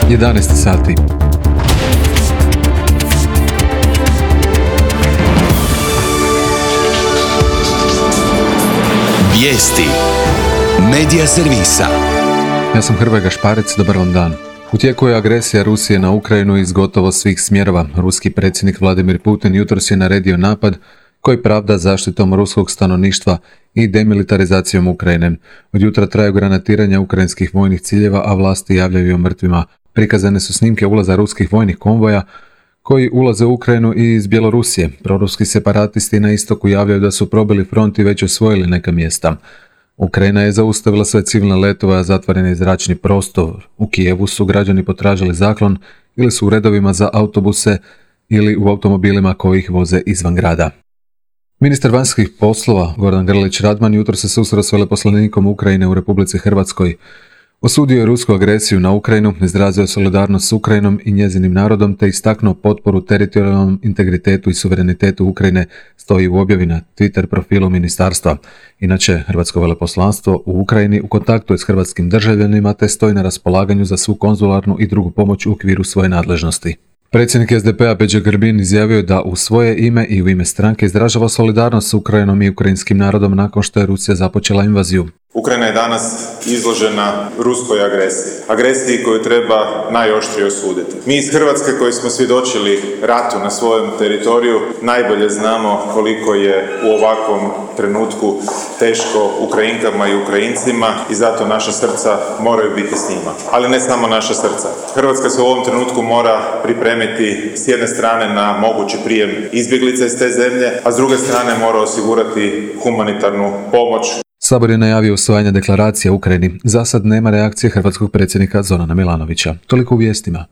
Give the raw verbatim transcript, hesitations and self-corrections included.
jedanaest sati. Vijesti Medija servisa. Ja sam Hrvoje Gašparec, dobar vam dan. U tijeku je agresija Rusije na Ukrajinu iz gotovo svih smjerova. Ruski predsjednik Vladimir Putin jutros je naredio napad koji pravda zaštitom ruskog stanovništva i demilitarizacijom Ukrajine. Od jutra traju granatiranja ukrajinskih vojnih ciljeva, a vlasti javljaju o mrtvima. Prikazane su snimke ulaza ruskih vojnih konvoja koji ulaze u Ukrajinu i iz Bjelorusije. Proruski separatisti na istoku javljaju da su probili front i već osvojili neka mjesta. Ukrajina je zaustavila sve civilne letove, a zatvoreni zračni prostor. U Kijevu su građani potražili zaklon ili su u redovima za autobuse ili u automobilima koji ih voze izvan grada. Ministar vanjskih poslova Gordan Grlić Radman jutro se susreo s veleposlanikom Ukrajine u Republici Hrvatskoj. Osudio je rusku agresiju na Ukrajinu, izrazio solidarnost s Ukrajinom i njezinim narodom te istaknuo potporu teritorijalnom integritetu i suverenitetu Ukrajine, stoji u objavi na Twitter profilu ministarstva. Inače, Hrvatsko veleposlanstvo u Ukrajini u kontaktu je s hrvatskim državljanima te stoji na raspolaganju za svu konzularnu i drugu pomoć u okviru svoje nadležnosti. Predsjednik es de pe a Peđa Grbin izjavio je da u svoje ime i u ime stranke izražava solidarnost s Ukrajinom i ukrajinskim narodom nakon što je Rusija započela invaziju. Ukrajina je danas izložena ruskoj agresiji. Agresiji koju treba najoštrije osuditi. Mi iz Hrvatske koji smo svjedočili ratu na svojem teritoriju najbolje znamo koliko je u ovakvom trenutku teško Ukrajinkama i Ukrajincima i zato naša srca moraju biti s njima. Ali ne samo naša srca. Hrvatska se u ovom trenutku mora pripremiti s jedne strane na mogući prijem izbjeglica iz te zemlje, a s druge strane mora osigurati humanitarnu pomoć. Sabor je najavio usvajanje deklaracije u Ukrajini. Za sad nema reakcije hrvatskog predsjednika Zorana Milanovića. Toliko u vijestima.